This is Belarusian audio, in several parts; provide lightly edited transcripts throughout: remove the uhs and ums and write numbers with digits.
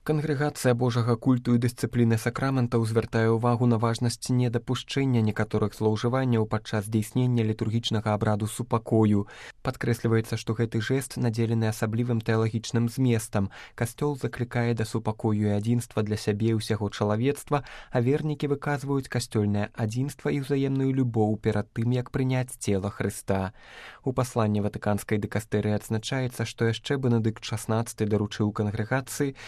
Кангрэгацыя Божага культу і дысцыпліны сакраментаў звяртае ўвагу на важнасць недапушчэння некаторых злоўжыванняў падчас здзейснення літургічнага абраду супакою. Падкрэсліваецца, што гэты жэст надзелены асаблівым тэалагічным зместам. Касцёл заклікае да супакою і адзінства для сябе і ўсяго чалавецтва, а вернікі выказваюць касцёльнае адзінства і ўзаемную любоў перад тым, як прыняць цела Хрыста. У пасланні ватыканскай дыкастэрыі адзначаецца, што яшчэ Бенедыкт XVI даручыў кангрэгацыі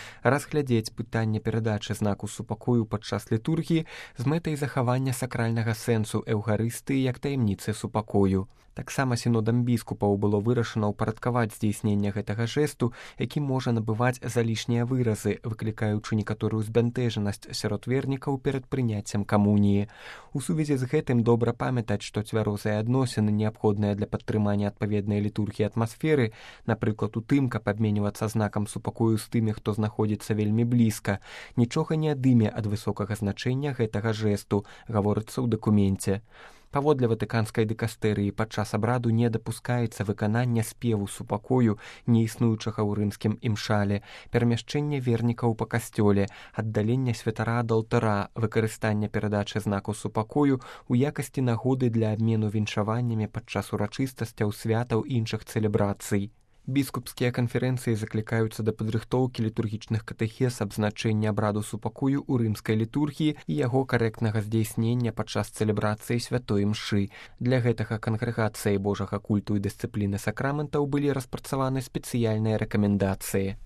разглядзець пытанне перадачы знаку супакою падчас літургіі з мэтай захавання сакральнага сэнсу эўхарыстыі як таямніцы супакою. Таксама сінодам біскупаў было вырашана ўпарадкаваць здзейснення гэтага жэсту, які можа набываць залішнія выразы, выклікаючы некаторую збянтэжанасць сярод вернікаў перад прыняццем камуніі. У сувязі з гэтым добра памятаць, што цвярозыя адносіны, неабходныя для падтрымання адпаведнай літургіі атмасферы, напрыклад, у тым, каб абменьвацца знакам супакою з тымі, хто знаходзіцца вельмі блізка, нічога не адыме ад высокага значэння гэтага жэсту, гаворыцца ў дакуменце. Паводле ватыканскай дыкастэрыі падчас абраду не дапускаецца выканання спеву супакою, не існуючага ў рымскім імшале, перамяшчэнне вернікаў па касцёле, аддалення святара ад алтара, выкарыстанне перадачы знаку супакою ў якасці нагоды для абмену віншаваннямі падчас урачыстасцяў, святаў і іншых цэлебрацый. Біскупскія канферэнцыі заклікаюцца да падрыхтоўкі літургічных катэхез аб значэнні абраду супакою ў рымскай літургіі і яго карэктнага здзейснення падчас цэлебрацыі святой імшы. Для гэтага кангрэгацыяй Божага культу і дысцыпліны сакраментаў былі распрацаваны спецыяльныя рэкамендацыі.